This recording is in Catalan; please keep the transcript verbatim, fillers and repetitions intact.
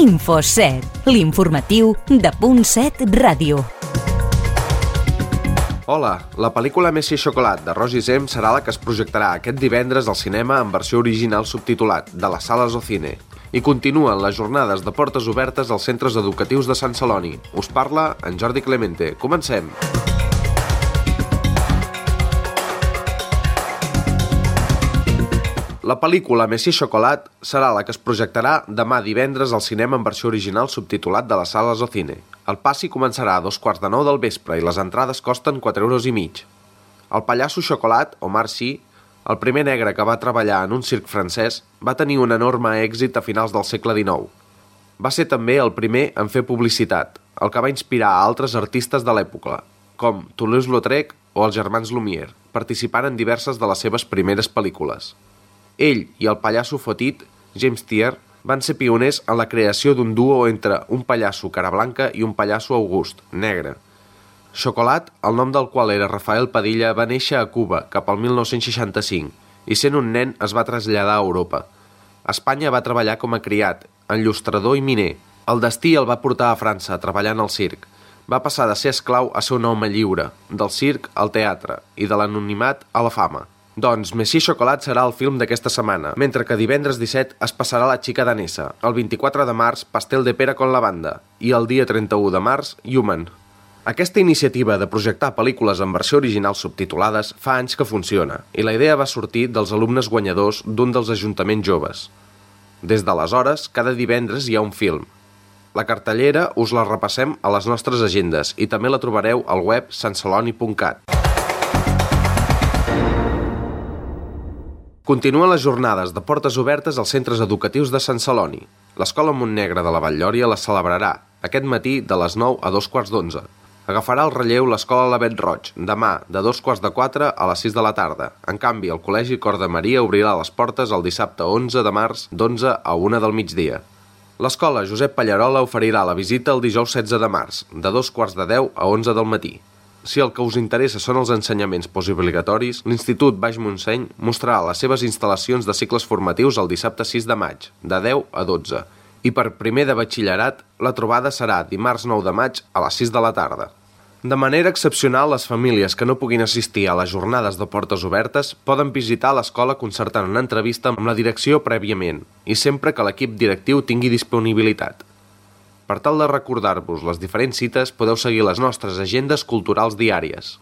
Infoset, l'informatiu de Punt set Ràdio. Hola, la pel·lícula Messi i Xocolat de Roger Zem serà la que es projectarà aquest divendres al cinema en versió original subtitulat de les sales Ocine. I continuen les jornades de portes obertes als centres educatius de Sant Celoni. Us parla en Jordi Clemente. Comencem! La pel·lícula Messi i Xocolat serà la que es projectarà demà divendres al cinema en versió original subtitulat de les sales Ocine. El passi començarà a dos quarts de nou del vespre i les entrades costen quatre euros i mig. El pallasso Xocolat, Omar Sy, el primer negre que va treballar en un circ francès, va tenir un enorme èxit a finals del segle dinou. Va ser també el primer en fer publicitat, el que va inspirar a altres artistes de l'època, com Toulouse-Lautrec o els germans Lumière, participant en diverses de les seves primeres pel·lícules. Ell i el pallasso fotit, James Thier, van ser pioners en la creació d'un duo entre un pallasso cara blanca i un pallasso august, negre. Xocolat, el nom del qual era Rafael Padilla, va néixer a Cuba cap al mil nou-cents seixanta-cinc i sent un nen es va traslladar a Europa. A Espanya va treballar com a criat, enllustrador i miner. El destí el va portar a França, treballant al circ. Va passar de ser esclau a ser un home lliure, del circ al teatre i de l'anonimat a la fama. Doncs Messi i Xocolat serà el film d'aquesta setmana, mentre que divendres disset es passarà La xica danesa, el vint-i-quatre de març Pastel de pera con lavanda i el dia trenta-u de març Human. Aquesta iniciativa de projectar pel·lícules en versió original subtitulades fa anys que funciona i la idea va sortir dels alumnes guanyadors d'un dels ajuntaments joves. Des d'aleshores, cada divendres hi ha un film. La cartellera us la repassem a les nostres agendes i també la trobareu al web sant celoni punt cat. Continuen les jornades de portes obertes als centres educatius de Sant Celoni. L'Escola Montnegre de la Vall-lloria les celebrarà, aquest matí de les nou a dos quarts d'onze. Agafarà el relleu l'Escola Lavet Roig, demà de dos quarts de quatre a les sis de la tarda. En canvi, el Col·legi Cor de Maria obrirà les portes el dissabte onze de març d'onze a una del migdia. L'Escola Josep Pallarola oferirà la visita el dijous setze de març, de dos quarts de deu a onze del matí. Si el que us interessa són els ensenyaments postobligatoris, l'Institut Baix Montseny mostrarà les seves instal·lacions de cicles formatius el dissabte sis de maig, de deu a dotze. I per primer de batxillerat, la trobada serà dimarts nou de maig a les sis de la tarda. De manera excepcional, les famílies que no puguin assistir a les jornades de portes obertes poden visitar l'escola concertant una entrevista amb la direcció prèviament i sempre que l'equip directiu tingui disponibilitat. Per tal de recordar-vos les diferents cites, podeu seguir les nostres agendes culturals diàries.